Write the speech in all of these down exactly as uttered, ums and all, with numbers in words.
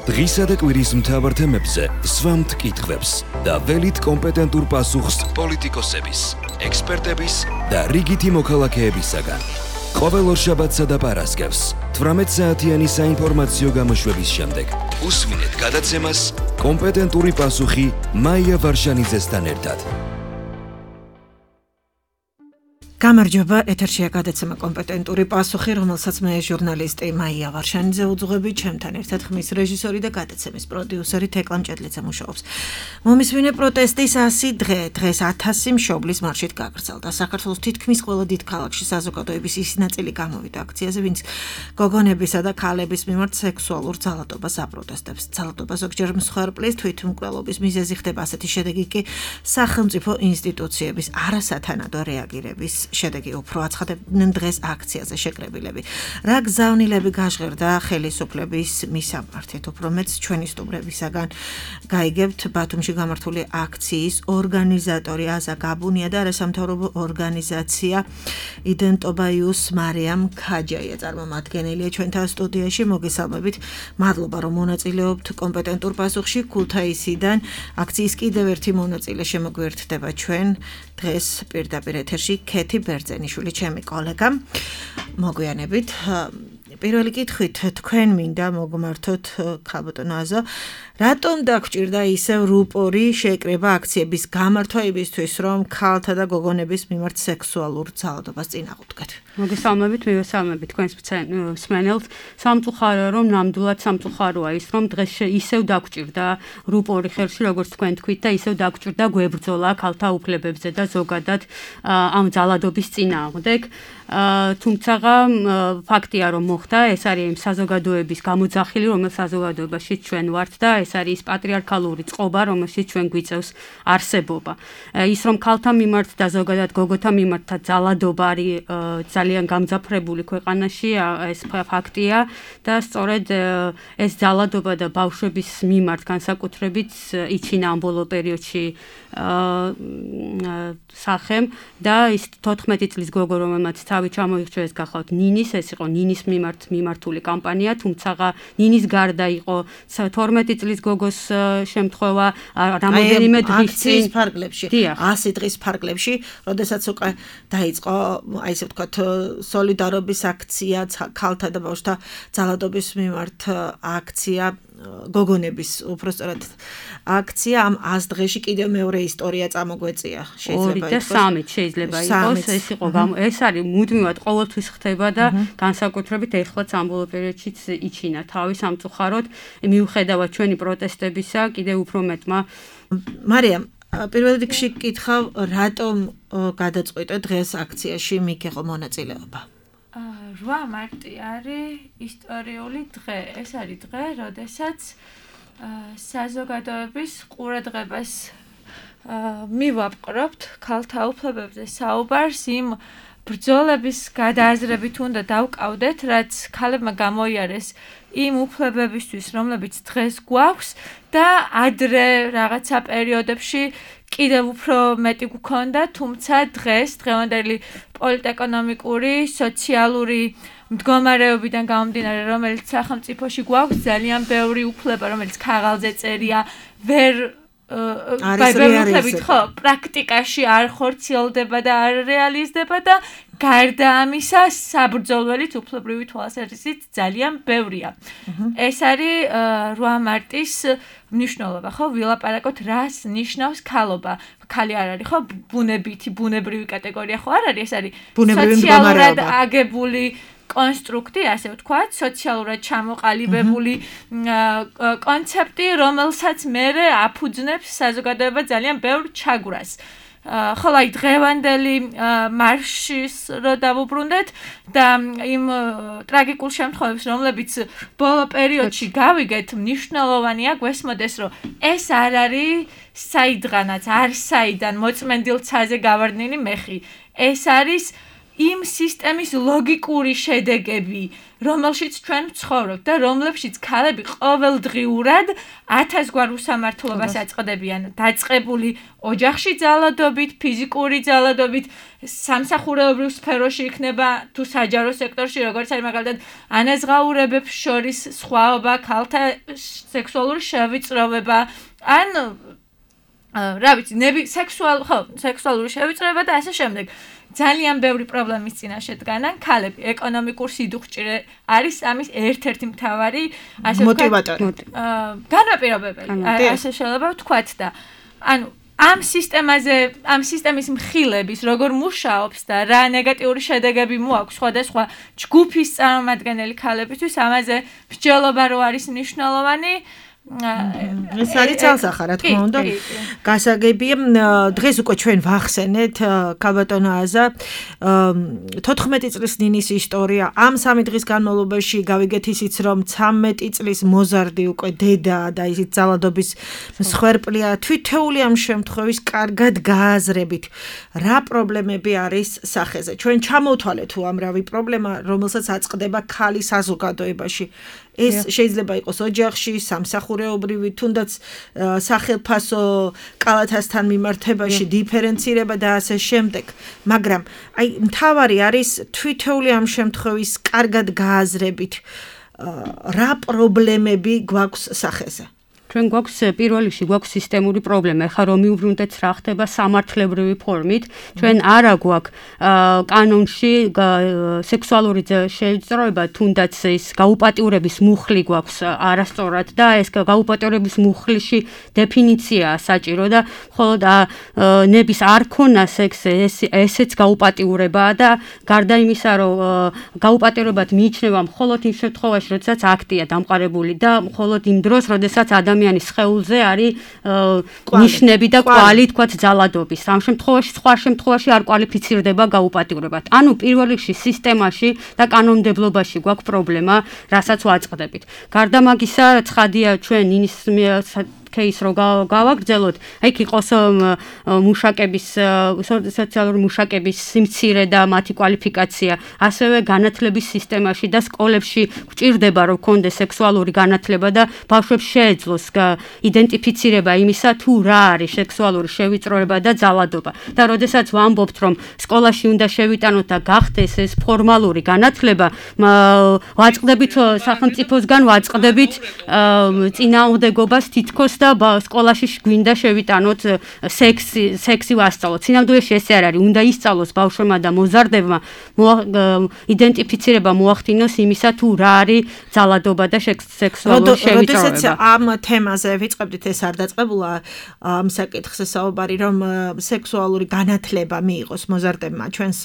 დღისა და კვირის მთავარ თემებზე სვამთ კითხვებს და ველით კომპეტენტურ პასუხს პოლიტიკოსების, ექსპერტების და რიგითი მოქალაქეებისაგან. ყოველ ორშაბათსა და პარასკევს თვრამეტ საათიანი საინფორმაციო გამოშვების შემდეგ უსმინეთ გადაცემას კომპეტენტური პასუხი მაია ვარშანიძესთან ერთად. გამარჯობა, ეთერშია გადაცემა კომპეტენტური პასუხი, რომელსაც მე ჟურნალისტი მაია ვარშანიძე უძღვები, ჩემთან ერთად ხმის რეჟისორი და გადაცემის პროდიუსერი თეკლა მჭედლიძე მუშაობს. მომისმინე პროტესტის ასი დღე, დღეს ათასი მშობლის მარშით გაგრძელდა. საქართველოს თითქმის ყველა დიდ ქალაქში საზოგადოების ის ნაწილი გამოვიდა აქციაზე, ვინც გოგონებისა და ქალების მიმართ სექსუალურ ძალადობას აპროტესტებს. ძალადობა ზოგჯერ მსხვერპლის თვითმკვლელობის მიზეზი ხდება, ასეთი შედეგი კი სახელმწიფო ინსტიტუციების არასათანადო რეაგირების შედეგი უფრო აცხადებდნენ დღეს აქციაზე შეკრებილები. რა გზავნილები გაჟღერდა ხელისუფლების მისამართით, უფრო მეც ჩვენი სტუმრებისაგან გაიგებთ ბათუმში გამართული აქციის ორგანიზატორი აზა გაბუნია და არასამთავრობო ორგანიზაცია იდენტობაიუს მარიამ ქაჯაია წარმომადგენელია ჩვენთან სტუდიაში. მოგესალმებით, მადლობა რომ მონაწილეობთ კომპეტენტურ პასუხში. ქუთაისიდან აქციის კიდევ ერთი მონაწილე შემოგვერთდება ჩვენ დღეს პირდაპირ ეთერში ქეთი ბერძენიშვილი, ჩემი კოლეგა. მოგვიანებით პირველი კითხვით, თქვენ მინდა მოგმართოთ ქალბატონო აზო, რატომ დაგჭირდა ისევ რუპორი შეკრება აქციების გამართვა იმისთვის, რომ ქალთა და გოგონების მიმართ სექსუალურ ძალადობას წინააღმდეგეთ? მოგესალმებით, მივესალმებით თქვენს მსმენელს. სამწუხაროა, რომ ნამდვილად სამწუხაროა ის, რომ დღეს ისევ დაგჭირდა რუპორი ხელში, როგორც თქვენ თქვით, და ისევ დაგჭირდა გვებრძოლა ქალთა უფლებებზე და ზოგადად ამ ძალადობის წინააღმდეგ. თუმცა ფაქტია, რომ მოხდა, ეს არის იმ საზოგადოების გამოძახილი, რომელსაც საზოგადოებაში ჩვენ ვართ და ეს არის ის პატრიარქალური წყობა, რომელშიც ჩვენ გვიწევს არსებობა. ის, რომ ქალთა მიმართ და ზოგადად გოგოთა მიმართ ძალადობა არის ძალიან გამძაფრებული ქვეყანაში, ეს ფაქტია და სწორედ ეს ძალადობა და ბავშვების მიმართ განსაკუთრებით იჩინა ამ ბოლო პერიოდში სახემ და ის თოთხმეტი წლის გოგო, რომელმაც თავი ჩამოიხრჩეს, გახავთ ნინის, ეს იყო ნინის მიმართ მიმართული კამპანია, თუმცა ნინის გარდა იყო თორმეტი წლის გოგოს შემთხვევა, რამოდენიმე დღის წინ ფარგლებში, ასი დღის ფარგლებში, როდესაც უკვე დაიწყო, აი ესე ვთქვათ, სოლიდარობის აქცია, ქალთა და ბავშვთა ძალადობის მიმართ აქცია, გოგონების უბრალოდ აქცია. ამ ას დღეში კიდევ მეორე ისტორია წამოგვეწია, შეიძლება ითქვას. ორი და სამი შეიძლება იყოს, ეს იყო ეს არის მუდმივად ყოველთვის ხდება და განსაკუთრებით ეხლაც ამ ბოლო პერიოდშიც იჩინა თავი სამწუხაროდ, მიუხედავად ჩვენი პროტესტებისა, კიდევ უფრო მეტმა. მარიამ, პირველ რიგში გკითხავ, რატომ გადაწყვიტე დღეს აქციაში მიგიღო მონაწილეობა? რვა მარტი არის ისტორიული დღე. ეს არის დღე, როდესაც საზოგადოების ყურადღებას მივაპყრობთ ქალთა უფლებებზე საუბარს, იმ ბრძოლების გადააზრებით უნდა დავკავდეთ, რაც ქალებმა გამოიარეს იმ უფლებებისთვის, რომლებიც დღეს გვაქვს და ადრე რაღაცა პერიოდებში კიდევ უფრო მეტი გვქონდა, თუმცა დღეს დღევანდელი პოლიტეკონომიკური, სოციალური მდგომარეობიდან გამომდინარე, რომელიც სახელმწიფოში გვაქვს, ძალიან ბევრი უფლება, რომელიც ქაღალდზე წერია, ვერ ხო, პრაქტიკაში არ ხორციელდება და არ რეალიზდება და გარდა ამისა, საბრძოლველით უფლებრივი თვალსაზრისით ძალიან ბევრია. ეს არის რვა მარტის მნიშვნელობა, ხო? ვილაპარაკოთ, რას ნიშნავს ქალობა. ქალი არ არის, ხო? ბუნებითი, ბუნებრივი კატეგორია ხო არ არის, ეს არის სოციალურად აგებული კონსტრუქტი, ასე ვთქვათ, სოციალურად ჩამოყალიბებული კონცეფტი, რომელსაც მერე აფუძნებს საზოგადოება ძალიან ბევრ ჩაგვრას. ხოლო აი დღევანდელი მარშის რო დავუბრუნდეთ და იმ ტრაგიკულ შემთხვევებს, რომლებიც ბოლო პერიოდში გავიგეთ, მნიშვნელოვანია გვესმოდეს, რომ ეს არ არის საიდღანაც, არ საიდან მოწმენდილ ცაზე გავარდნილი მეხი. ეს არის იმ სისტემის ლოგიკური შედეგები, რომელშიც ჩვენ ვცხოვრობთ და რომლებშიც ქალები ყოველდღიურად ათას გვარ უსამართლობას აწყდებიან, დაწყებული ოჯახში ძალადობით, ფიზიკური ძალადობით, სამსახურეობრივ სფეროში იქნება თუ საჯარო სექტორში, როგორც არის მაგალითად ანაზღაურებებს შორის სხვაობა, ქალთა სექსუალური შევიწროვება, ან რა ვიცი, ნები სექსუალ, ხო, სექსუალური შევიწროვება და ასე შემდეგ. ძალიან ბევრი პრობლემის წინაშე დგანან ქალები. ეკონომიკურ სიდუხჭირე არის ამის ერთ-ერთი მთავარი ასე მოტივატორი. განაპირობებელი. ასე შეიძლება ვთქვათ და ანუ ამ სისტემაზე, ამ სისტემის მხილების როგორ მუშაობს და რა ნეგატიური შედეგები მოაქვს სხვადასხვა ჯგუფის წარმომადგენელი ქალებისთვის, ამაზე მსჯელობა რო არის მნიშვნელოვანი. ეს არის ძალსახა, რა თქმა უნდა. გასაგებია, დღეს უკვე ჩვენ ვახსენეთ ქალბატონ აზა თოთხმეტი წლის ნინის ისტორია. ამ სამი დღის განმავლობაში გავიგეთ ისიც, რომ ცამეტი წლის მოზარდი უკვე დედა და ისიც ძალადობის მსხვერპლია. თვითეული ამ შემთხვევის კარგად გააზრებით, რა პრობლემები არის სახეზე. ჩვენ ჩამოვთვალეთ უამრავი პრობლემა, რომელსაც აწყდება ქალის საზოგადოებაში. ეს შეიძლება იყოს ოჯახში, სამსახურეობრივი, თუნდაც სახელფასო კალათასთან მიმართებაში, დიფერენცირება და ასე შემდეგ. მაგრამ აი მთავარი არის თვითეული ამ შემთხვევის კარგად გააზრებით, რა პრობლემები გვაქვს სახეზე. ჩვენ გვაქვს პირველ რიგში გვაქვს სისტემური პრობლემა. ეხლა რომ მივუბრუნდეთ რა ხდება სამართლებრივი ფორმით, ჩვენ არა გვაქვს კანონში სექსუალური შევიწროება, თუნდაც ის გაუპატიურების მუხლი გვაქვს არასწორად და ეს გაუპატიურების მუხლში დეფინიციაა საჭირო და მხოლოდ ნების არ ქონა სექსი ესეც გაუპატიურებაა და გარდა იმისა, რომ გაუპატიურებად მიიჩნევა მხოლოდ იმ შემთხვევაში, როდესაც აქტია დამყარებული და მხოლოდ იმ დროს, როდესაც ადამიანი ადამიანის სხეულზე არის ნიშნები და კვალი, თქვათ, ძალადობის. ამ შემთხვევაში, სხვა შემთხვევაში არ კვალიფიცირდება გაუპატიურებად. ანუ პირველ რიგში სისტემაში და კანონმდებლობაში გვაქვს პრობლემა, რასაც ვაწყდებით. გარდა მაგისა, ცხადია ჩვენ ინის кейს რო გავაგრძელოთ, აქ იყოს მუშაკების სოციალური მუშაკების სიმცირე და მათი კვალიფიკაცია, ასევე განათლების სისტემაში და სკოლებში გვჭირდება რომ კონდეს სექსუალური განათლება და ბავშვებს შეეძლოს იდენტიფიცირება იმისა თუ რა არის სექსუალური შევიწროება და ძალადობა. და როდესაც ვამბობთ რომ სკოლაში უნდა შევიტანოთ და გახდეს ეს ფორმალური განათლება, ვაწყდებით სახელმწიფოსგან ვაწყდებით წინააღმდეგობას თითქოს და სკოლაში გვინდა შევიტანოთ სექსი სექსი ვასწავლოთ. სინამდვილეში ესე არ არის, უნდა ისწავლოს ბავშვებმა და მოზარდებმა იდენტიფიცირება მოახდინოს იმისა თუ რა არის ძალადობა და სექსუალური შევიწროება. როდესაც ამ თემაზე ვიწყებდით, ეს არ დაწყებულა ამ საკითხზე საუბარი, რომ სექსუალური განათლება მიიღოს მოზარდებმა ჩვენს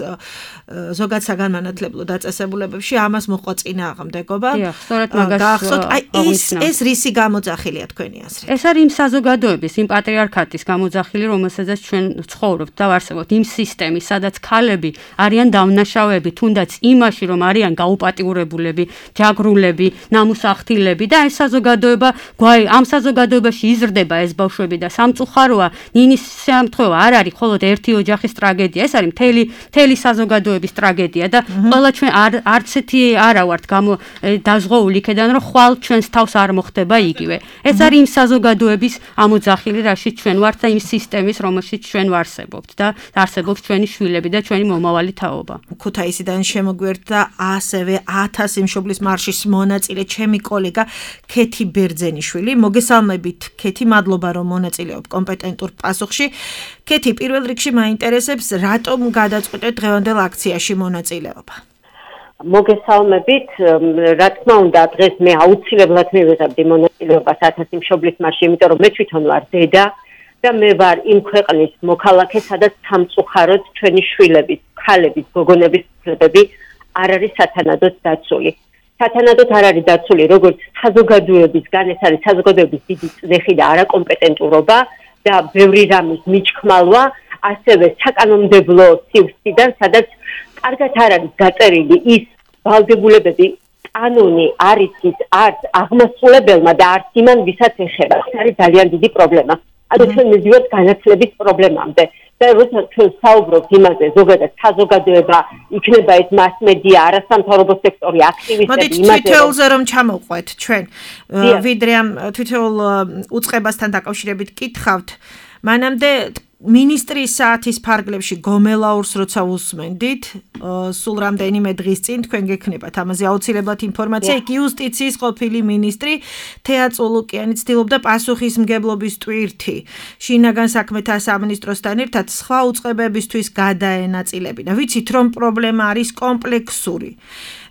ზოგად საგანმანათლებლო დაწესებულებებში, ამას მოყვა წინააღმდეგობა. დიახ, სწორედ მაგას გახსოვთ, აი ეს ეს რისი გამოძახილია თქვენი აზრით? ეს არის იმ საზოგადოების, იმ პატრიარქატის გამოძახილი, რომელსაც ჩვენ ცხოვრობთ და ვარსებობთ, იმ სისტემის, სადაც ქალები არიან დამნაშავეები, თუნდაც იმაში, რომ არიან გაუპატიურებულები, ჯაგრულები, ნამუსახთილები და ეს საზოგადოება, ამ საზოგადოებაში იზრდება ეს ბავშვები და სამწუხაროა, ნინის შემთხვევა არ არის მხოლოდ ერთი ოჯახის ტრაგედია, ეს არის მთელი მთელი საზოგადოების ტრაგედია და ყველა ჩვენ არც ერთი არა ვართ დაზღვეული იქიდან, რომ ხვალ ჩვენს თავს არ მოხდება იგივე. ეს არის იმ საზოგადოების ამოძახილი, რაშიც ჩვენ ვართ და იმ სისტემის, რომელშიც ჩვენ ვარსებობთ და არსებობს ჩვენი შვილები და ჩვენი მომავალი თაობა. ქუთაისიდან შემოგვერდა ასევე ათას იმშობლის მარშის მონაწილე ჩემი კოლეგა ქეთი ბერძენიშვილი. მოგესალმებით, ქეთი, მადლობა რომ მონაწილეობ კომპეტენტურ პასუხში. ქეთი, პირველ რიგში მაინტერესებს, რატომ გადაწყვეტეთ დღევანდელ აქციაში მონაწილეობა? მოგესალმებით, რა თქმა უნდა, დღეს მე აუცილებლად მივიღებდი მონაწილეობას ათას იმშობლის მარშში, იმიტომ რომ მე თვითონ ვარ დედა და მე ვარ იმ ქვეყნის მოქალაქე, სადაც სამწუხაროდ ჩვენი შვილების, ქალების, გოგონების უფლებები არ არის სათანადოდ დაცული. სათანადოდ არ არის დაცული, როგორც საზოგადოებისგან, ეს არის საზოგადოების დიდი წნეხი და არაკომპეტენტურობა და ბევრი რამის მიჩქმალვა, ასევე საკანონმდებლო სივრციდან, სადაც კარგად არ არის გაწერილი ის ვალდებულებები, კანონი არის ის არც აღმასრულებელმა და არც იმან, ვისაც ეხება. ეს არის ძალიან დიდი პრობლემა. ანუ ჩვენ მივიდივართ განათლების პრობლემამდე. და როცა ჩვენ საუბრობთ იმაზე, ზოგადად საზოგადოება იქნება ეს მასმედია, არასამთავრობო სექტორი, აქტივისტები, იმაზე თითოეულზე რომ ჩამოვყვეთ ჩვენ, ვიდრე ამ თითოეულ უწყებასთან დაკავშირებით კითხავთ, მანამდე მინისტრის საათის ფარგლებში გომელაურს როცა უსმენდით, სულ რამდენიმე დღის წინ თქვენ გექნებათ ამაზე აუცილებლად ინფორმაცია. იქ იუსტიციის ყოფილი მინისტრი თეა წულუკიანი ცდილობდა პასუხისმგებლობის ტვირთი შინაგან საქმეთა სამინისტროსთან ერთად სხვა უწყებებისთვის გადაენაწილებინა. ვიცით რომ პრობლემა არის კომპლექსური.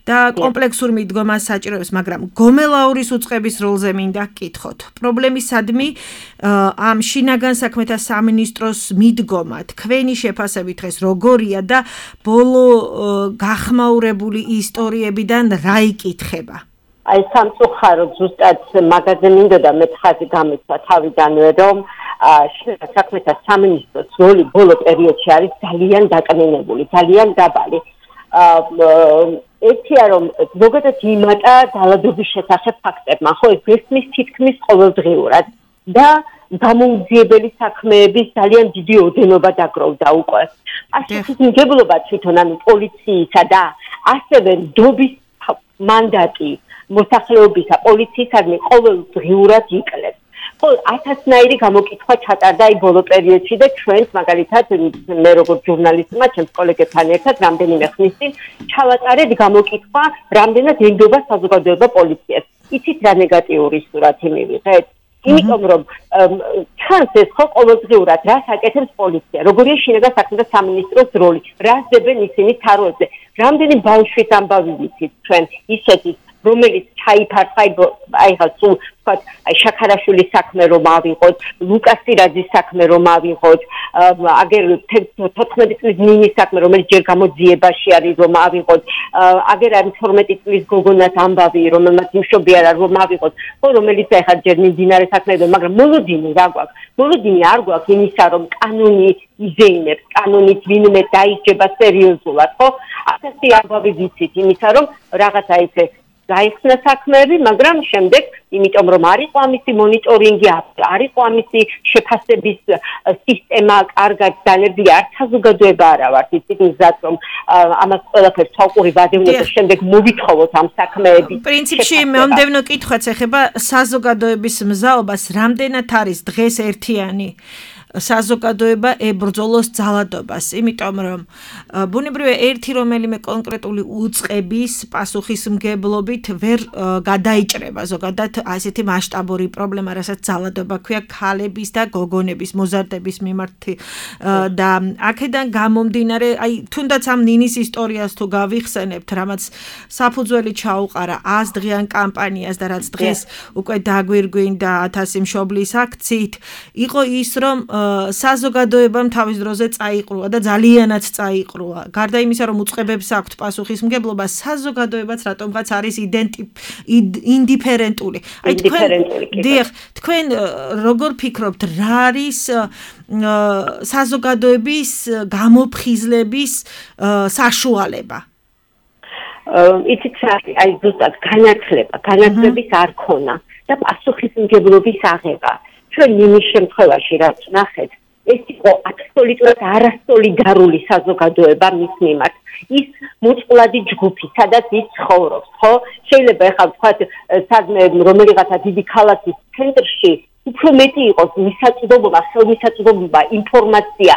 და კომპლექსურ მიდგომას საჭიროებს, მაგრამ გომელაურის უწყების როლზე მინდა გკითხოთ. პრობლემისადმი ამ შინაგან საქმეთა სამინისტროს მიდგომა თქვენი შეფასებით დღეს როგორია და ბოლო გახმაურებული ისტორიებიდან რა იკითხება? აი სამწუხაროდ ზუსტად მაგაზე მინდოდა მე ხაზი გამეცვა თავიდანვე რომ შინაგან საქმეთა სამინისტროს როლი ბოლო პერიოდში არის ძალიან დაკნინებული, ძალიან დაბალი. ერთია რომ ზოგადად იმატა ძალადობის შესახებ ფაქტებმა, ხო ეს გესმის თითქმის ყოველდღიურად და გამოუძიებელი საქმეების ძალიან დიდი ოდენობა დაგროვდა უკვე. პასუხისმგებლობა თვითონ ანუ პოლიციისა და ასევე ნდობის მანდატი მოსახლეობისა პოლიციისადმი ყოველდღიურად იკლებს. ხო, ათასნაირი გამოკითხვა ჩატარდა აი ბოლო პერიოდში და ჩვენს მაგალითად მე როგორც ჟურნალისტმა, ჩემს კოლეგებთან ერთად რამდენიმე ხნის წინ ჩავატარეთ გამოკითხვა, რამდენად ენდობა საზოგადოება პოლიციას. იცით რა ნეგატიური სურათი მივიღეთ? იმიტომ რომ ჩანს ეს ხო ყოველდღიურად რას აკეთებს პოლიცია, როგორია შინაგან საქმეთა სამინისტროს როლი, რას დებენ ისინი თაროებზე. რამდენი ბავშვის ამბავი ვიცით ჩვენ ისეთი რომელიც ჩაიფარხა აი ხა სულ ვთქვათ აი შაქარაშვილის საქმე რომ ავიღოთ, ლუკას სირაძის საქმე რომ ავიღოთ, აგერ თოთხმეტი წლის ნინის საქმე რომელიც ჯერ გამოძიებაში არის რომ ავიღოთ, აგერ არის თორმეტი წლის გოგონას ამბავი რომელმაც იმშობი არა რომ ავიღოთ, ხო რომელიც აი ხა ჯერ მიმდინარე საქმეებია, მაგრამ მოლოდინი რა გვაქვს? მოლოდინი არ გვაქვს იმისა რომ კანონი იზეიმებს, კანონით ვინმე დაიჯება სერიოზულად, ხო? ასეთი ამბავი ვიცით იმისა რომ რაღაცა ისე გაიხსნა საქმეები, მაგრამ შემდეგ, იმიტომ რომ არ იყო ამისი მონიტორინგი, არ იყო ამისი შეფასების სისტემა კარგად დანერგილი, არც საზოგადოება არა ვართ იცით მზად რომ ამას ყველაფერს თვალყური ვადევნოთ და შემდეგ მოვითხოვოთ ამ საქმეების. პრინციპში მომდევნო კითხვაც ეხება საზოგადოების მზაობას, რამდენად არის დღეს ერთიანი საზოგადოება ებრძოლოს ძალადობას, იმიტომ რომ ბუნებრივია ერთი რომელიმე კონკრეტული უწყების პასუხისმგებლობით ვერ გადაიჭრება ზოგადად ასეთი მასშტაბური პრობლემა, რასაც ძალადობა ქვია ქალების და გოგონების მოზარდების მიმართ და აქედან გამომდინარე, აი თუნდაც ამ ნინის ისტორიას თუ გავიხსენებთ, რამაც საფუძველი ჩაუყარა ას დღიან კამპანიას და რაც დღეს უკვე დაგვირგვინდა ათასი მშობლის აქციით, იყო ის რომ საზოგადოებამ თავის დროზე წაიყრუა და ძალიანაც წაიყრუა. გარდა იმისა, რომ უწყებებს აქვთ პასუხისმგებლობა, საზოგადოებაც რატომღაც არის ინდიფერენტული. აი თქვენ, დიახ, თქვენ როგორ ფიქრობთ, რა არის საზოგადოების გამოფხიზლების საშუალება? იცით რა, აი ზუსტად განათლება, განათლების არ ქონა და პასუხისმგებლობის აღება. ჩვენ იმის შემთხვევაში რაც ნახეთ, ეს იყო აბსოლუტურად არასოლიდარული საზოგადოება მის მიმართ. ის მოწყვლადი ჯგუფი, სადაც ის ცხოვრობს, ხო? შეიძლება ეხლა ვთქვათ, სადმე რომელიღაცა დიდი ქალაქის ცენტრში უფრო მეტი იყოს მისაწვდომობა, ხელმისაწვდომობა, ინფორმაცია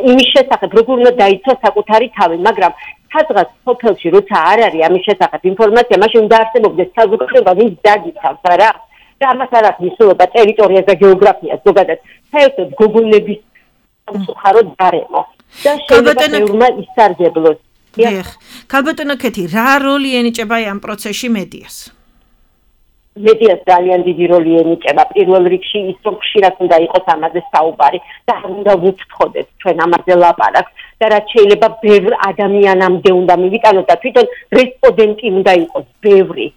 იმის შესახებ, როგორ უნდა დაიცვა საკუთარი თავი, მაგრამ სადღაც სოფელში როცა არ არის ამის შესახებ ინფორმაცია, მაშინ უნდა არსებობდეს საზოგადოება, ვინც დაგიცავს, არა? და ამას არ აქვს მნიშვნელობა ტერიტორიას და გეოგრაფიას ზოგადად საერთოდ გოგონების სამწუხაროდ გარემო და შეიძლება ბევრმა ისარგებლოს. დიახ, ქალბატონო ქეთი, რა როლი ენიჭება ამ პროცესში მედიას? მედიას ძალიან დიდი როლი ენიჭება. პირველ რიგში ის რომ ხშირად უნდა იყოს ამაზე საუბარი და უნდა ვუფრთხოდეთ ჩვენ ამაზე ლაპარაკს და რაც შეიძლება ბევრ ადამიანამდე უნდა მივიტანოთ და თვითონ რესპონდენტი უნდა იყოს ბევრი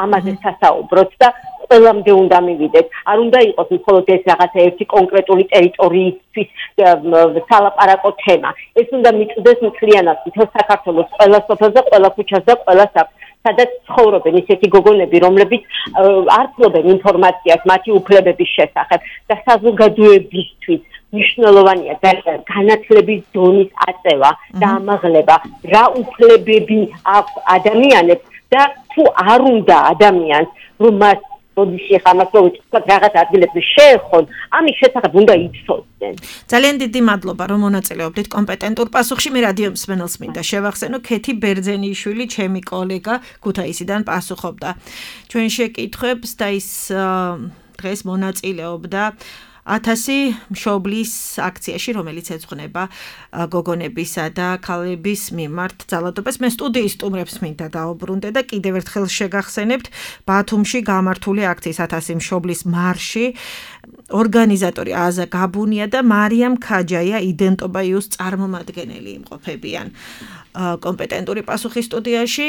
ამაზე სასაუბროთ და ყველამდე უნდა მივიდეთ. არ უნდა იყოს მხოლოდ ეს რაღაცა ერთი კონკრეტული ტერიტორიისთვის სალაპარაკო თემა. ეს უნდა მიწვდეს მთლიანად მთელ საქართველოს ყველა სოფელს და ყველა ქუჩას და ყველა საფს, სადაც ცხოვრობენ ისეთი გოგონები, რომლებიც არ ფლობენ ინფორმაციას მათი უფლებების შესახებ და საზოგადოებისთვის მნიშვნელოვანია ძალიან განათლების დონის აწევა და ამაღლება, რა უფლებები აქვს ადამიანებს და თუ არ უნდა ადამიანს რომ მას როდესაც ხამას რო ვიწყოთ რაღაც ადგილებში შეეხონ, ამის შესახებ უნდა იცოდნენ. ძალიან დიდი მადლობა რომ მონაწილეობდით კომპეტენტურ პასუხში. მე რადიო მსმენელს მინდა შევახსენო, ქეთი ბერძენიშვილი, ჩემი კოლეგა ქუთაისიდან პასუხობდა ჩვენ შეკითხვებს და ის დღეს მონაწილეობდა ათასი მშობლის აქციაში, რომელიც ეძღვნება გოგონებისა და ქალების მიმართ ძალადობას. მე სტუდიის სტუმრებს მინდა დაუბრუნდე და კიდევ ერთხელ შეგახსენებთ ბათუმში გამართული აქციის ათასი მშობლის მარში ორგანიზატორი აზა გაბუნია და მარიამ ქაჯაია იდენტობაიუს წარმომადგენელი იმყოფებიან კომპეტენტური პასუხი სტუდიაში.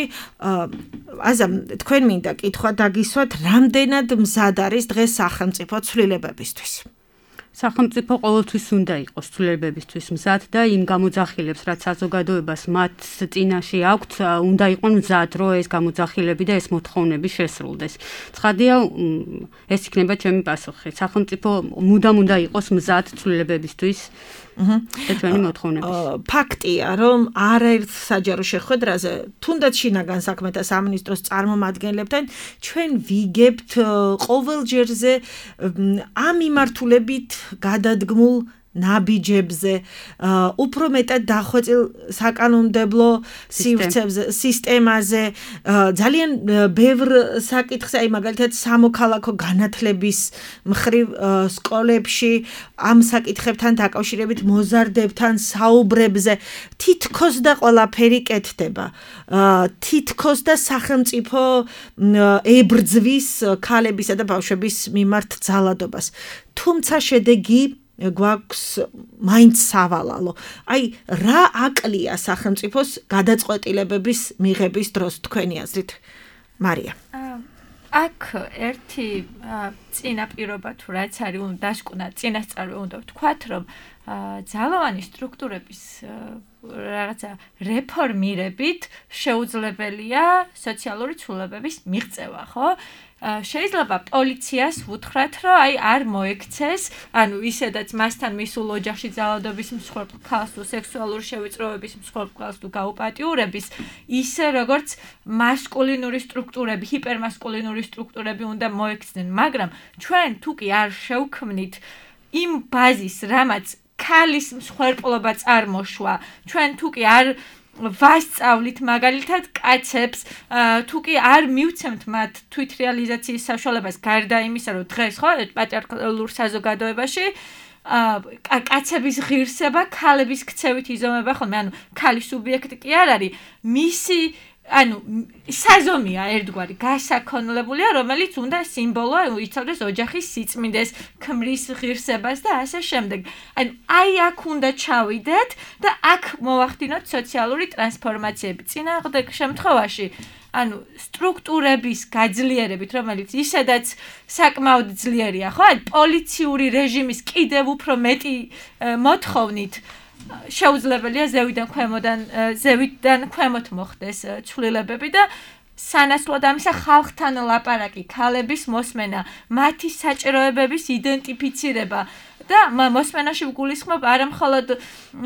აზა, თქვენ მინდა კითხვა დაგისვათ, რამდენად მზად არის დღეს სახელმწიფო ცვლილებებისთვის? სახელმწიფო ყოველთვის უნდა იყოს ცვლილებებისთვის მზად და იმ გამოძახილებს, რაც საზოგადოებას მათ წინაშე აქვთ, უნდა იყვნენ მზად, რომ ეს გამოძახილები და ეს მოთხოვნები შესრულდეს. ცხადია, ეს იქნება ჩემი პასუხი. სახელმწიფო მუდამ უნდა იყოს მზად ცვლილებებისთვის. და ჩვენი მოთხოვნების. ფაქტია, რომ არაერთ საჯარო შეხვედრაზე, თუნდაც შინაგან საქმეთა სამინისტროს წარმომადგენლებთან ჩვენ ვიგებთ ყოველჯერზე ამ მიმართულებით გადადგმულ ნაბიჯებზე, უფრო მეტად დახვეწილ საკანონმდებლო სივრცეებზე, სისტემაზე, ძალიან ბევრ საკითხზე, აი მაგალითად სამოქალაქო განათლების მხრივ სკოლებში ამ საკითხებთან დაკავშირებით მოზარდებთან საუბრებზე თითქოს და ყველაფერი კეთდება. თითქოს და სახელმწიფო ებრძვის ქალებისა და ბავშვების მიმართ ძალადობას. თუმცა შედეგი გვაქვს მაინც სავალალო. აი, რა აკლია სახელმწიფოს გადაწყვეტილებების მიღების დროს თქვენი აზრით, მარია? აქ ერთი წინაპირობა თუ რაც არის, უნდა დაშკუნა, წინასწარი უნდა ვთქვათ, რომ ძალოვანი სტრუქტურების რაღაცა რეფორმირებით შეუძლებელია სოციალური ცვლილებების მიღწევა, ხო? შეიძლება პოლიციას ვუთხრათ, რომ აი არ მოექცეს, ანუ ისედაც მასთან მისულ ოჯახში ძალადობის მსხვერპლ ქალს თუ სექსუალური შევიწროების მსხვერპლ ქალს თუ გაუპატიურების, ისე როგორც მასკულინური სტრუქტურები, ჰიპერმასკულინური სტრუქტურები უნდა მოექცნენ, მაგრამ ჩვენ თუ კი არ შევქმნით იმ ბაზის, რამაც ქალის მსხვერპლობა წარმოშვა, ჩვენ თუ კი არ ვასწავლით მაგალითად კაცებს, თუ კი არ მივცემთ მათ თვითრეალიზაციის საშუალებას, გარდა იმისა, რომ დღეს ხო პატრიარქალურ საზოგადოებაში კაცების ღირსება ქალების ქცევით იზომება ხოლმე, ანუ ქალის სუბიექტი კი არ არის, მისი ანუ საზომია ერთგვარი გასაქონლებულია, რომელიც უნდა სიმბოლო იცავდეს ოჯახის სიწმინდეს, ქმრის ღირსებას და ასე შემდეგ. ანუ აი აქ უნდა ჩავიდეთ და აქ მოვახდინოთ სოციალური ტრანსფორმაციები. წინააღმდეგ შემთხვევაში, ანუ სტრუქტურების გაძლიერებით, რომელიც ისედაც საკმაოდ ძლიერია, ხო? აი პოლიციური რეჟიმის კიდევ უფრო მეტი მოთხოვნით შეუძლებელია ზევიდან ქვემოდან ზევიდან ქვემოთ მოხდეს ცვლილებები და სანაცვლოდ ამისა ხალხთან ლაპარაკი, ქალების მოსმენა, მათი საჭიროებების იდენტიფიცირება და მოსმენაში ვგულისხმობ არა მხოლოდ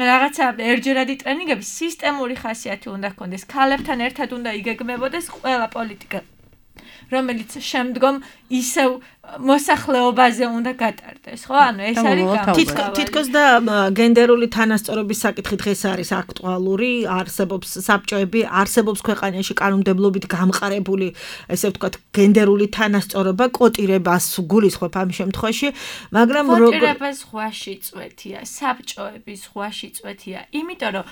რაღაცა ერთჯერადი ტრენინგები, სისტემური ხასიათი უნდა ჰქონდეს, ქალებთან ერთად უნდა იგეგმებოდეს ყველა პოლიტიკა, რომელიც შემდგომ ისევ მოსახლეობაზე უნდა გატარდეს, ხო? ანუ ეს არის გამოსავალი. თითქოს და გენდერული თანასწორობის საკითხი დღეს არის აქტუალური, არსებობს საბჭოები, არსებობს ქვეყანაში კანონმდებლობით გამყარებული, ესე ვთქვათ, გენდერული თანასწორობა, კოტირებას გულისხმობ ამ შემთხვევაში, მაგრამ კოტირება ზღვაში წვეთია, საბჭოები ზღვაში წვეთია, იმიტომ რომ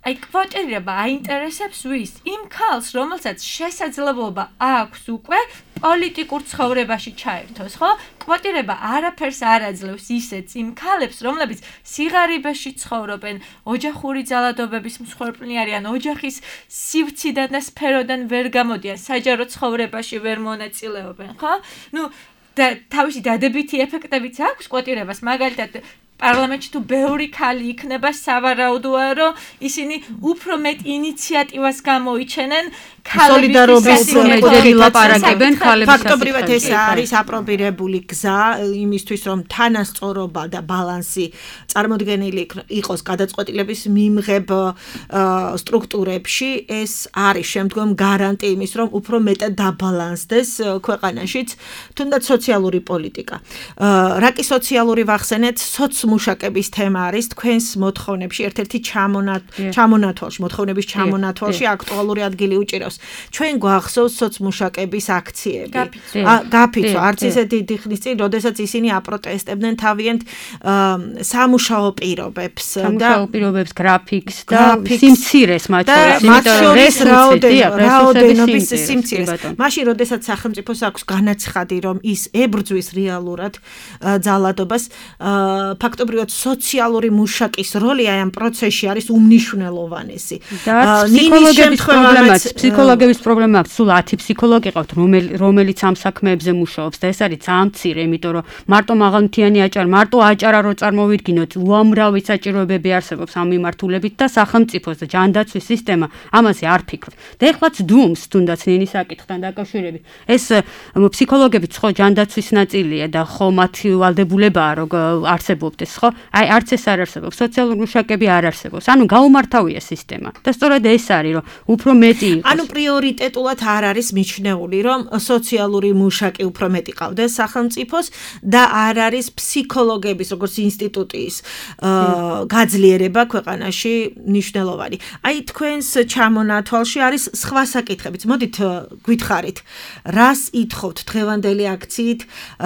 აი კვოტირება აინტერესებს ვის? იმ ქალს, რომელსაც შესაძლებლობა აქვს უკვე პოლიტიკურ ცხოვრებაში ჩაერთოს, ხო? კვოტირება არაფერს არ აძლევს ისეც იმ ქალებს, რომლებიც სიღარიბეში ცხოვრობენ, ოჯახური ძალადობების მსხვერპლნი არიან, ოჯახის სივრციდან და სფეროდან ვერ გამოდიან, საჯარო ცხოვრებაში ვერ მონაწილეობენ, ხო? ნუ და თავისი დადებითი ეფექტებიც აქვს კვოტირებას, მაგალითად პარლამენტში თუ ბევრი ქალი იქნება, სავარაუდოა, რომ ისინი უფრო მეტ ინიციატივას გამოიჩენენ სოლიდარობის მეთოდი ლაპარაკებენ ქალების ფაქტობრივად ეს არის აპრობირებული გზა იმისთვის რომ თანასწორობა და ბალანსი წარმოდგენილი იყოს გადაწყვეტილების მიმღებ სტრუქტურებში ეს არის შემდგომ გარანტი იმის რომ უფრო მეტად დაბალანსდეს ქვეყანაშიც თუნდაც სოციალური პოლიტიკა რა კი სოციალური ვახსენეთ სოცმუშაკების თემა არის თქვენს მოთხოვნებში ერთ-ერთი ჩამონათვალში მოთხოვნების ჩამონათვალში აქტუალური ადგილი უჭირავს ჩვენ გვახსოვს სოცმუშაკების აქციები. გაფიცო, არც ისე დიდი ხნის წინ, როდესაც ისინი აპროტესტებდნენ თავიანთ სამუშაო პირობებს და სამუშაო პირობებს, გრაფიკს და სიმცირეს მათ შორის, მათ შორის რაოდენობის სიმცირეს. მაშინ, როდესაც სახელმწიფოს აქვს განაცხადი, რომ ის ებრძვის რეალურად ძალადობას, ფაქტობრივად სოციალური მუშაკის როლი აი ამ პროცესში არის უმნიშვნელოვანესი. ნინი პრობლემაც ფსიქოლოგების პრობლემა აქვს, სულ ათი ფსიქოლოგი ყავთ, რომელიც ამ საქმეებზე მუშაობს და ეს არის ძალიან მცირე, იმიტომ რომ მარტო მაღალმთიანი აჭარა, მარტო აჭარა რო წარმოვიდგინოთ, უამრავი საჭიროებები არსებობს ამ მიმართულებით და სახელმწიფოს და ჯანდაცვის სისტემა ამაზე არ ფიქრობს. და ეხლაც დუმს თუნდაც ნინის საკითხთან დაკავშირებით. ეს ფსიქოლოგებიც ხო ჯანდაცვის ნაწილია და ხო მათი ვალდებულებაა რომ არსებობდეს, ხო? აი არც ეს არ არსებობს, სოციალური მუშაკები არ არსებობს. ანუ გაუმართავია სისტემა. და სწორედ ეს არის, რომ უფრო მეტი იყოს. ანუ პრიორიტეტულად არ არის მიჩნეული, რომ სოციალური მუშაკი უფრო მეტი ყავდეს სახელმწიფოს და არ არის ფსიქოლოგების როგორც ინსტიტუტის გაძლიერება ქვეყანაში მნიშვნელოვანი. აი თქვენს ჩამონათვალში არის სხვა საკითხებიც. მოდით გითხარით, რას ითხოვთ დღევანდელი აქციით,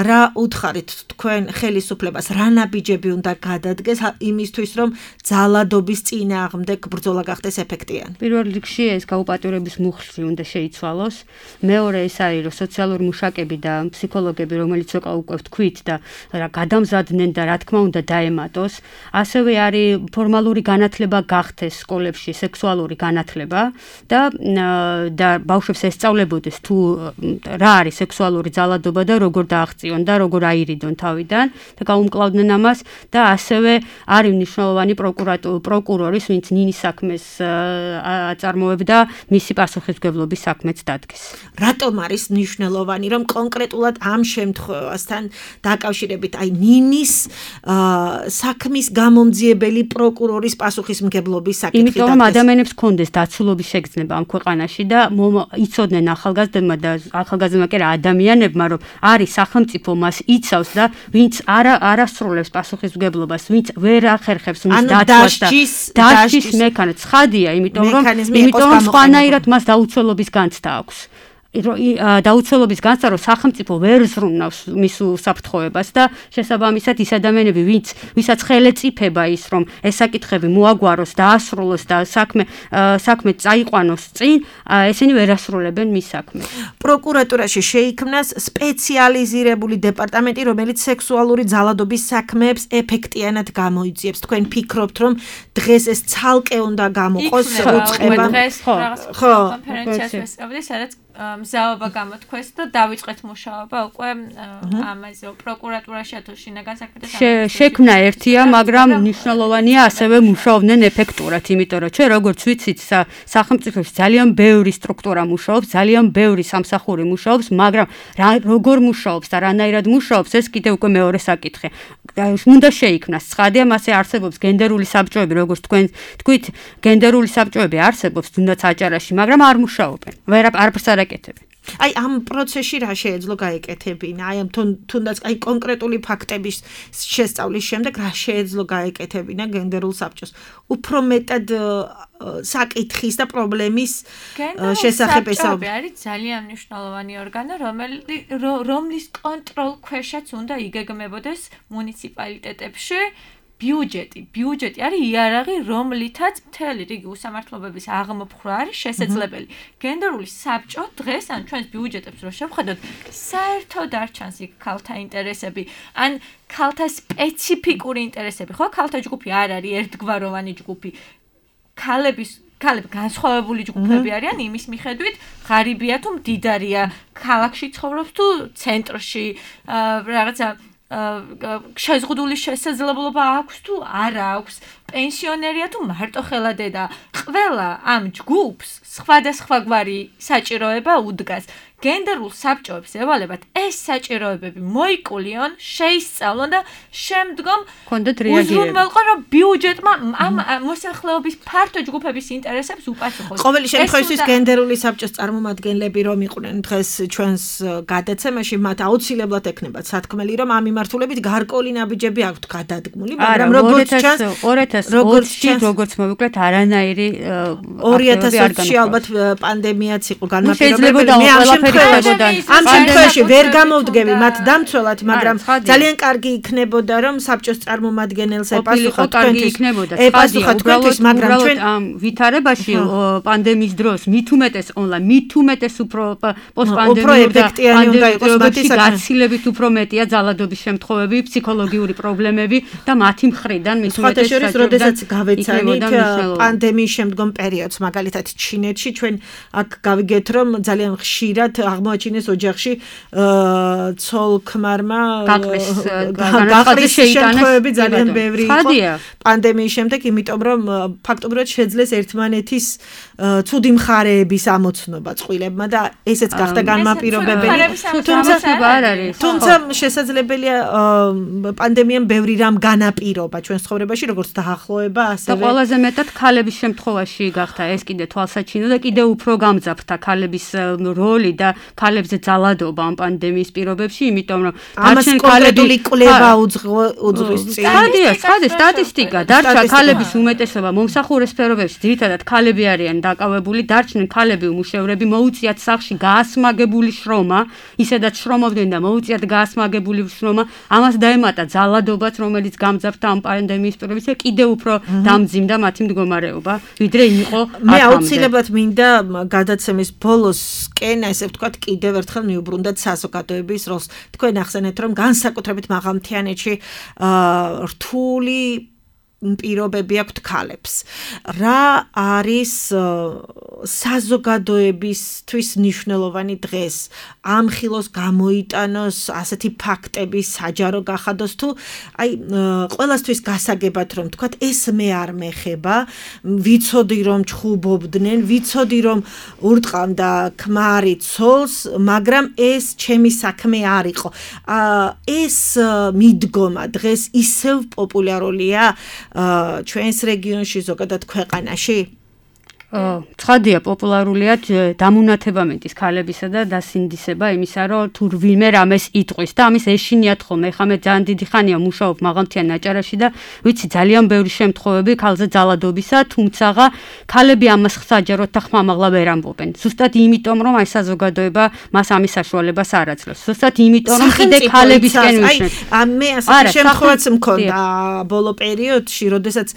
რა უთხარით თქვენ ხელისუფლებას, რა ნაბიჯები უნდა გადადგეს იმისთვის, რომ ძალადობის წინააღმდეგ ბრძოლა გახდეს ეფექტიანი. პირველ რიგში ეს გაუპატიურების მუხლი უნდა შეიცვალოს. მეორე ეს არის რომ სოციალური მუშაკები და ფსიქოლოგები რომელიც უკვე უკვე თქვით და რა გადამზადდნენ და რა თქმა უნდა დაემატოს. ასევე არის ფორმალური განათლება გახდეს სკოლებში სექსუალური განათლება და და ბავშვებს ესწავლებოდეს თუ რა არის სექსუალური ძალადობა და როგორ დააღწიონ და როგორ აირიდონ თავიდან და გაუმკლავდნენ ამას და ასევე არის მნიშვნელოვანი პროკურორის ვინც ნინის საქმეს აწარმოებდა მისი პასუხისმგებლობის საქმეც დადგეს. რატომ არის მნიშვნელოვანი რომ კონკრეტულად ამ შემთხვევასთან დაკავშირებით აი ნინის საქმის გამომძიებელი პროკურორის პასუხისმგებლობის საკითხი დადგეს? იმიტომ რომ ადამიანებს ჰქონდეს დაცულობის შეგრძნება ამ ქვეყანაში და იცოდნენ ახალგაზრდებმა და ახალგაზრდებმა კი რა ადამიანებმა რომ არის სახელმწიფო მას იცავს და ვინც არა არასრულებს პასუხისმგებლობას, ვინც ვერ ახერხებს მის დაცვას და დასჯის მექანიზმი ცხადია, იმიტომ რომ იმიტომ რომ სხვანაირად მას დაუცველობის განცდა აქვს. დაუცველობის განცდა რომ სახელმწიფო ვერ ზრუნავს მის უსაფრთხოებას და შესაბამისად ის ადამიანები ვინც ვისაც ხელეწიფება ის რომ ეს საკითხები მოაგვაროს და ასრულოს და საქმე საქმე წაიყვანოს წინ ესენი ვერ ასრულებენ მის საქმეს. პროკურატურაში შეიქმნას სპეციალიზირებული დეპარტამენტი რომელიც სექსუალური ძალადობის საქმეებს ეფექტიანად გამოიძიებს. თქვენ ფიქრობთ რომ დღეს ეს ცალკე უნდა გამოყოს უწყება? ხო კონფერენციას ვესწავლე სადაც მზაობა გამოთქვეს და დავიწყეთ მუშაობა უკვე ამაზე პროკურატურაში ათო შინაგან საქმეთა შექმნა ერთია, მაგრამ მნიშვნელოვანია ასევე მუშაობდნენ ეფექტურად, იმიტომ რომ ჩვენ როგორც ვიცით, სახელმწიფოში ძალიან ბევრი სტრუქტურა მუშაობს, ძალიან ბევრი სამსახური მუშაობს, მაგრამ როგორ მუშაობს და რანაირად მუშაობს, ეს კიდევ უკვე მეორე საკითხია. უნდა შეიქმნას ცხადია, მასე არსებობს გენდერული საბჭოები, როგორც თქვენ თქვით, გენდერული საბჭოები არსებობს თუნდაც აჭარაში, მაგრამ არ მუშაობენ. ვერ არაფერს არ აკეთებენ. აი ამ პროცესში რა შეეძლო გაეკეთებინა? აი ამ თუნდაც აი კონკრეტული ფაქტების შესწავლის შემდეგ რა შეეძლო გაეკეთებინა გენდერულ საბჭოს? უფრო მეტად საკითხის და პრობლემის შესახებ ესაუბრა. არის ძალიან მნიშვნელოვანი ორგანო, რომლის კონტროლ ქვეშაც უნდა იგეგმებოდეს მუნიციპალიტეტებში ბიუჯეტი. ბიუჯეტი არის იარაღი, რომლითაც მთელი რიგი უსამართლობების აღმოფხვრა არის შესაძლებელი. გენდერული საბჭო დღეს ან ჩვენს ბიუჯეტებს რო შევხედოთ, საერთოდ არ ჩანს იქ ქალთა ინტერესები, ან ქალთა სპეციფიკური ინტერესები, ხო? ქალთა ჯგუფი არ არის ერთგვაროვანი ჯგუფი. ქალების ქალები განსხვავებული ჯგუფები არიან იმის მიხედვით, ღარიბია თუ მდიდარია, ქალაქში ცხოვრობს თუ ცენტრში, რაღაცა შეზღუდული შესაძლებლობა აქვს თუ არა აქვს. პენსიონერია თუ მარტო ხელადედა. ყველა ამ ჯგუფს სხვადასხვაგვარი საჭიროება უდგას. გენდერულ საბჭოებს ევალებათ ეს საჭიროებები მოიკულიონ, შეისწავლონ და შემდგომ კონდეთ რეაგირება. უზრუნველყო რომ ბიუჯეტმა ამ მოსახლეობის ფართო ჯგუფების ინტერესებს უპასუხოს. ყოველი შემთხვევაში გენდერული საბჭოს წარმომადგენლები რომ იყვნენ დღეს ჩვენს გადაცემაში, მათ აუცილებლად ექნებათ სათქმელი, რომ ამ მიმართულებით გარკვეული ნაბიჯები აქვთ გადადგმული, მაგრამ როგორც ჩანს ორი ათას ოცი როგორც მოვიკლეთ არანაირი ორი ათას ოცი ალბათ პანდემიაც იყო განმაპირობებელი. მე ამ ამ შემთხვევაში ვერ გამოვდგები მათ დამცველად, მაგრამ ძალიან კარგი იქნებოდა რომ საბჭოს წარმომადგენელს ეპასუხა თქვენთვის. ეპასუხა თქვენთვის, მაგრამ ჩვენ ამ ვითარებაში პანდემიის დროს მით უმეტეს ონლაინ, მით უმეტეს უფრო პოსტპანდემიური და პანდემიის გაცილებით უფრო მეტია ძალადობის შემთხვევები, ფსიქოლოგიური პრობლემები და მათი მხრიდან მით უმეტეს საჭიროა, როდესაც გავეცანით პანდემიის შემდგომ პერიოდს, მაგალითად ჩინეთში ჩვენ აქ გავიგეთ რომ ძალიან ხშირად აღმოაჩინეს ოჯახში ცოლ-ქმარმა გაყრის შემთხვევები ძალიან ბევრი იყო პანდემიის შემდეგ, იმიტომ რომ ფაქტობრივად შეძლეს ერთმანეთის ცუდი მხარეების ამოცნობა წყვილებმა და ესეც გახდა განმაპირობებელი. თუმცა შესაძლებელია პანდემიამ ბევრი რამ განაპირობა ჩვენს ცხოვრებაში, როგორც დაახლოება, ასევე და ყველაზე მეტად ქალების შემთხვევაში გახდა ეს კიდე თვალსაჩინო და კიდე უფრო გამძაფრდა ქალების როლი და ქალებზე ძალადობა ამ პანდემიის პირობებში, იმიტომ რომ დარჩენ კონკრეტული კვლევა უძღვის წინ. ხადია, ხადია სტატისტიკა, დარჩა ქალების უმეტესობა მომსახურე სფეროებში, ძირითადად ქალები არიან დაკავებული, დარჩნენ ქალები უმუშევრები, მოუწიათ სახლში გაასმაგებული შრომა, ისედაც შრომობდნენ და მოუწიათ გაასმაგებული შრომა, ამას დაემატა ძალადობაც, რომელიც გამძაფრდა ამ პანდემიის პირობებში და კიდევ უფრო დამძიმდა მათი მდგომარეობა, ვიდრე იყო ათამდე. მე აუცილებლად მინდა გადაცემის ბოლოს კენა, ესე ვთქვათ, კიდევ ერთხელ მიუბრუნდეთ საზოგადოების როლს. თქვენ ახსენეთ, რომ განსაკუთრებით მაღალმთიანეთში რთული პირობები აქვთ ქალებს. რა არის საზოგადოებისთვის მნიშვნელოვანი დღეს? ამ ხილოს გამოიტანოს ასეთი ფაქტები, საჯარო გახადოს თუ აი ყველასთვის გასაგებად რომ თქვათ ეს მე არ მეხება, ვიცოდი რომ ჩხუბობდნენ, ვიცოდი რომ ურტყამდა ქმარი ცოლს, მაგრამ ეს ჩემი საქმე არ იყო. ეს მიდგომა დღეს ისევ პოპულარულია ჩვენს რეგიონში, ზოგადად ქვეყანაში? ცხადია პოპულარულია დამუნათებამენტის ქალებისა და დასინდისება იმისა, რომ თუ ვინმე რამეს იტყვის და ამის ეშინიათ ხოლმე. ეხლა მე ძალიან დიდი ხანია მუშაობ მაღალმთიან აჭარაში და ვიცი ძალიან ბევრი შემთხვევები ქალზე ძალადობისა, თუმცა ქალები ამას საჯაროდ და ხმამაღლა ვერ ამბობენ. ზუსტად იმიტომ, რომ აი საზოგადოება მას ამის საშუალებას არ აძლევს. ზუსტად იმიტომ, რომ კიდე ქალებისკენ ვიშნეს. აი მე ასეთი შემთხვევაც მქონდა ბოლო პერიოდში, როდესაც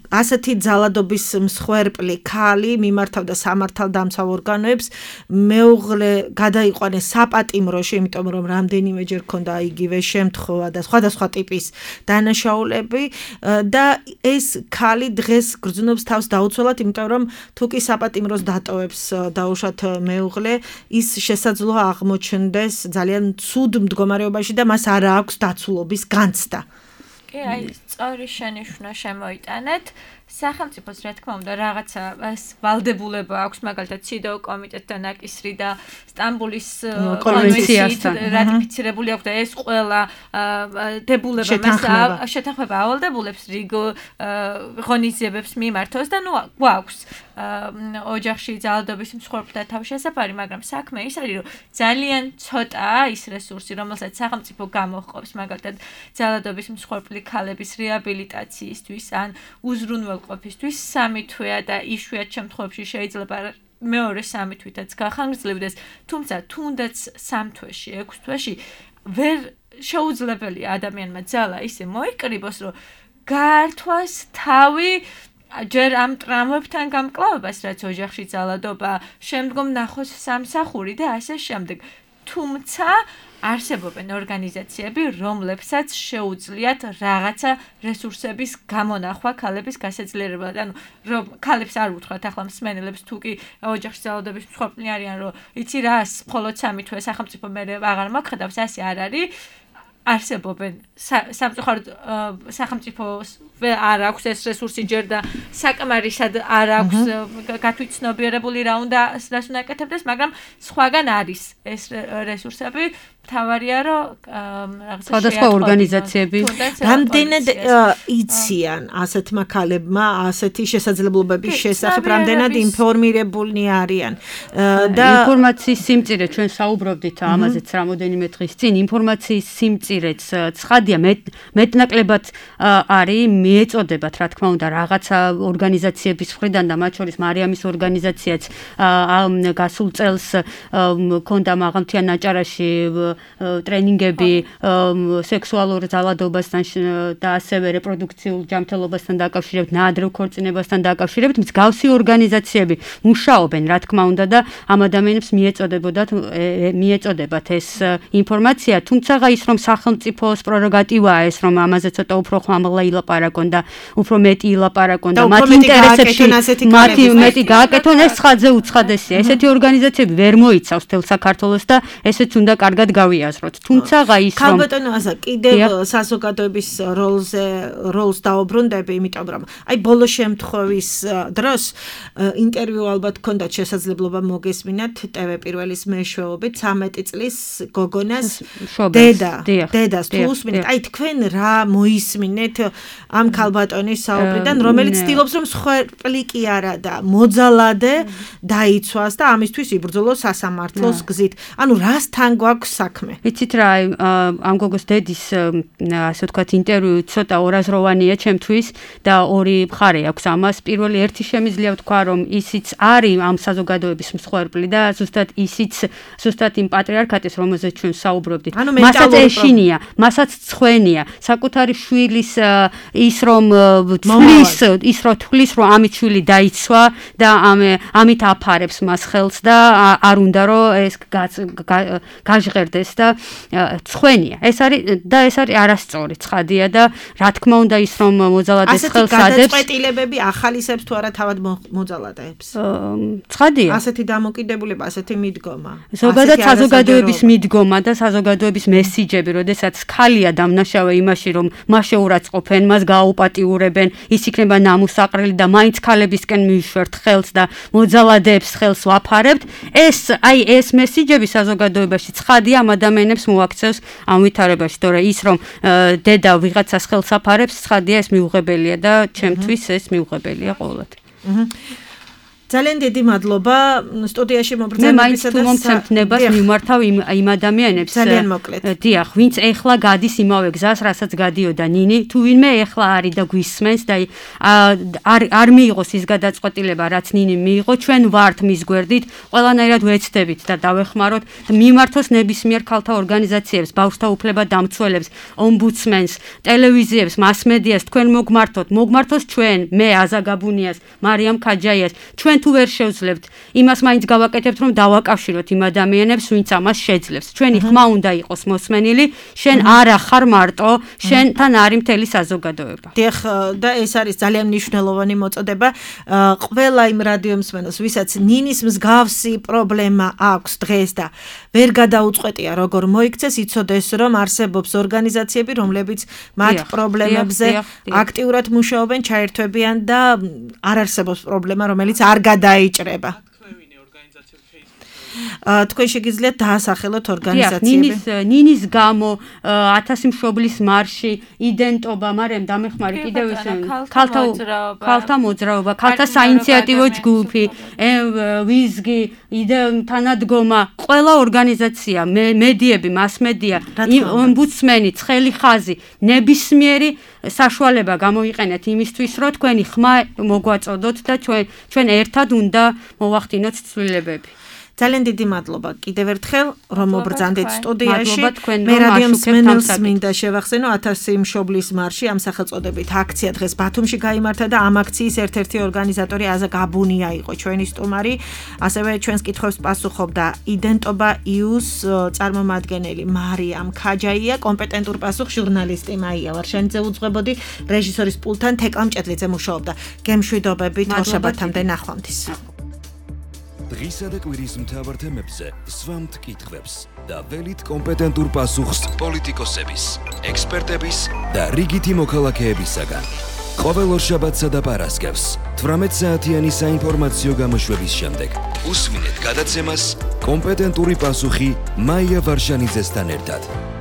ასეთი ძალადობის მსხვერპლი ქალი მიმართავდა სამართალდამცავ ორგანოებს, მეუღლე გადაიყვანეს საპატიმროში, იმიტომ რომ რამდენიმეჯერ ქონდა იგივე შემთხვევა და სხვადასხვა ტიპის დანაშაულები და ეს ქალი დღეს გრძნობს თავს დაუცველად, იმიტომ რომ თუ კი საპატიმროს დატოვებს დაუშვათ მეუღლე, ის შესაძლოა აღმოჩნდეს ძალიან ცუდ მდგომარეობაში და მას არ აქვს დაცულობის განცდა. კი, აი, სწორი შენიშვნა შემოიტანეთ. სახელმწიფოს რა თქმა უნდა რაღაცა ვალდებულება აქვს, მაგალითად ციდო კომიტეტთან აკისრი და სტამბულის კონვენციით რატიფიცირებული აქვს და ეს ყველა დებულება მას შეთანხმება ავალდებულებს რიგ ღონისძიებებს მიმართოს და ნუ გვაქვს ოჯახში ძალადობის მსხვერპლთა თავშესაფარი, მაგრამ საქმე ის არის, რომ ძალიან ცოტაა ის რესურსი, რომელსაც სახელმწიფო გამოჰყობს, მაგალითად ძალადობის მსხვერპლი ქალების რეაბილიტაციისთვის ან უზრუნველყოფისთვის ყოფისთვის სამი თვეა და იშვიათ შემთხვევებში შეიძლება მეორე სამი თვითაც გახანგრძლივდეს, თუმცა თუნდაც სამ თვეში, ექვს თვეში ვერ შეუძლებელია ადამიანმა ძალა ისე მოიკრიბოს, რომ გაართვას თავი ჯერ ამ ტრამვებთან გამკლავებას, რაც ოჯახში ძალადობა, შემდგომ ნახოს სამსახური და ასე შემდეგ. თუმცა არსებობენ ორგანიზაციები, რომლებსაც შეუძლიათ რაღაცა რესურსების გამონახვა ქალების გასაძლიერებლად. ანუ რომ ქალებს არ უთხრათ ახლა მსმენელებს თუ კი ოჯახში ძალადობის მსხვერპლი არიან, რომ იცი რა, მხოლოდ სამი თვე სახელმწიფო მე აღარ მოხდავს, ასე არ არის. არსებობენ სამწუხაროდ სახელმწიფო არ აქვს ეს რესურსი ჯერ და საკმარისად არ აქვს გათვითცნობიერებული რა უნდა რას უნდა აკეთებდეს, მაგრამ სხვაგან არის ეს რესურსები. თავარია რომ რაღაცა სხვადასხვა ორგანიზაციები რამდენად იციან ასეთმა ქალებმა ასეთი შესაძლებლობების შესახებ, რამდენად ინფორმირებულნი არიან და ინფორმაციის სიმწირე ჩვენ საუბრობდით ამაზეც რამოდენიმე დღის წინ ინფორმაციის სიმწირეც ცხადია მეტნაკლებად არის მიეწოდებათ რა თქმა უნდა რაღაცა ორგანიზაციების მხრიდან და მათ შორის მარიამის ორგანიზაციაც გასულ წელს ქონდა მაღალმთიან აჭარაში ტრენინგები სექსუალურ ძალადობასთან და ასევე რეპროდუქციულ ჯანმრთელობასთან დაკავშირებით, ნაადრევ ქორწინებასთან დაკავშირებით მსგავსი ორგანიზაციები მუშაობენ, რა თქმა უნდა და ამ ადამიანებს მიეწოდებოდათ მიეწოდებათ ეს ინფორმაცია, თუმცა ის რომ სახელმწიფოს პრეროგატივაა ეს რომ ამაზე ცოტა უფრო ხმამაღლა ილაპარაკონ და უფრო მეტი ილაპარაკონ და მათი ინტერესებში მათი მეტი გააკეთონ ეს ხაძე უცხადესია. ესეთი ორგანიზაციები ვერ მოიცავს თელ საქართველოს და ესეც უნდა კარგად გავიაზროთ. თუმცა ის რომ ქალბატონო აზა კიდევ საზოგადოების როლზე როლს დაუბრუნდები, იმიტომ რომ აი ბოლო შემთხვევის დროს ინტერვიუ ალბათ ქონდათ შესაძლებლობა მოგესმინათ ტევ პირველის მეშვეობით ცამეტი წლის გოგონას დედა დედას თუ უსმინეთ, აი თქვენ რა მოისმინეთ ამ ქალბატონის საუბრიდან, რომელიც ცდილობს რომ სხერპლი კი არა და მოძალადე დაიცვას და ამისთვის იბრძოლოს სასამართლოს გზით. ანუ რასთან გვაქვს საქმე? იცით რა, ამ გოგოს დედის ასე ვთქვათ ინტერვიუ ცოტა ორაზროვანია ჩემთვის და ორი მხარე აქვს ამას. პირველი ერთი შემიძლია ვთქვა რომ ისიც არის ამ საზოგადოების მსხვერპლი და ზუსტად ისიც ზუსტად იმ პატრიარქატის რომელზეც ჩვენ საუბრობდით. მასაც ეშინია, მასაც ცხვენია, საკუთარი შვილის ის რომ თვლის, ის რომ თვლის რომ ამით შვილი დაიცვა და ამით აფარებს მას ხელს და არ უნდა რომ ეს გაჟღერდეს და ცხვენია. ეს არის და ეს არის არასწორი ცხადია და რა თქმა უნდა ის რომ მოძალადეს ხელს ადებს. ასეთი გადაწყვეტილებები ახალისებს თუ არა თავად მოძალადებს? ცხადია. ასეთი დამოკიდებულება, ასეთი მიდგომა. ზოგადად საზოგადოების მიდგომა და საზოგადოების მესიჯები, როდესაც ქალია დამნაშავე იმაში რომ მას შეურაცხყოფენ, მას გააუპატიურებენ, ის იქნება ნამუსაყრელი და მაინც ქალებისკენ მივშვერთ ხელს და მოძალადებს ხელს ვაფარებთ. ეს აი ეს მესიჯები საზოგადოებაში ცხადია ამ ადამიანებს მოაქცევს ამ ვითარებაში, თორე ის რომ დედა ვიღაცას ხელს აფარებს, ცხადია ეს მიუღებელია და ჩემთვის ეს მიუღებელია ყოველად. ძალიან დიდი მადლობა სტუდიაში მობრძანებისა და მაინც თუ მომცემთ ნებას მიმართავ იმ იმ ადამიანებს. ძალიან მოკლედ. დიახ, ვინც ეხლა გადის იმავე გზას, რასაც გადიოდა ნინი, თუ ვინმე ეხლა არის და გვისმენს და არ არ მიიღოს ის გადაწყვეტილება, რაც ნინი მიიღო, ჩვენ ვართ მის გვერდით, ყველანაირად ვეცდებით და დავეხმაროთ მიმართოს ნებისმიერ ქალთა ორგანიზაციებს, ბავშვთა უფლება დამცველებს, ომბუდსმენს, ტელევიზიებს, მასმედიას, თქვენ მოგმართოთ, მოგმართოს ჩვენ, მე აზა გაბუნიას, მარიამ ქაჯაიას, ჩვენ თუ ვერ შევძლებთ, იმას მაინც გავაკეთებთ, რომ დავაკავშიროთ იმ ადამიანებს, ვინც ამას შეძლებს. ჩვენი ხმა უნდა იყოს მოსმენილი, შენ არა ხარ მარტო, შენთან არის მთელი საზოგადოება. დიახ, და ეს არის ძალიან მნიშვნელოვანი მოწოდება. ყველა იმ რადიო მსმენელს, ვისაც ნინის მსგავსი პრობლემა აქვს დღეს და ვერ გადაუწყვეტია, როგორ მოიქცეს, იცოდეს, რომ არსებობს ორგანიზაციები, რომლებიც მათ პრობლემებზე აქტიურად მუშაობენ, ჩაერთვებიან და არ არსებობს პრობლემა, რომელიც არ გადაიჭრება. თქვენ შეგიძლიათ დაასახელოთ ორგანიზაციები. ნინის ნინის გამო ათასი მშობლის მარში, იდენტობა, მაგრამ დამეხმარი კიდევ ის ქალთა ქალთა მოძრაობა, ქალთა საინიციატივო ჯგუფი, ვიზგი, თანადგომა, ყველა ორგანიზაცია, მედიები, მასმედია, ომბუდსმენი, ცხელი ხაზი, ნებისმიერი საშუალება გამოიყენეთ იმისთვის, რომ თქვენი ხმა მოგვაწოდოთ და ჩვენ ჩვენ ერთად უნდა მოვახდინოთ ცვლილებები. ძალიან დიდი მადლობა კიდევ ერთხელ რომ მობრძანდით სტუდიაში. მე რადიო მსმენელს მინდა შევახსენო ათასი მშობლის მარში ამ სახელწოდებით აქცია დღეს ბათუმში გაიმართა და ამ აქციის ერთ-ერთი ორგანიზატორი აზა გაბუნია იყო ჩვენი სტუმარი. ასევე ჩვენს კითხვებს პასუხობდა იდენტობა იუს წარმომადგენელი მარიამ ქაჯაია, კომპეტენტურ პასუხს ჟურნალისტი მაია ვარშანიძე უძღვებოდი, რეჟისორის პულტთან თეკლა მჭედლიძე მუშაობდა. გემშვიდობებით, შაბათამდე ნახვამდის. დღისა და კვირის მთავარ თემებზე სვამთ კითხვებს და ველით კომპეტენტურ პასუხს პოლიტიკოსების, ექსპერტების და რიგითი მოქალაქეებისაგან. ყოველ ორშაბათსა და პარასკევს თვრამეტ საათიანი საინფორმაციო გამოშვების შემდეგ უსმინეთ გადაცემას კომპეტენტური პასუხი მაია ვარშანიძესთან ერთად.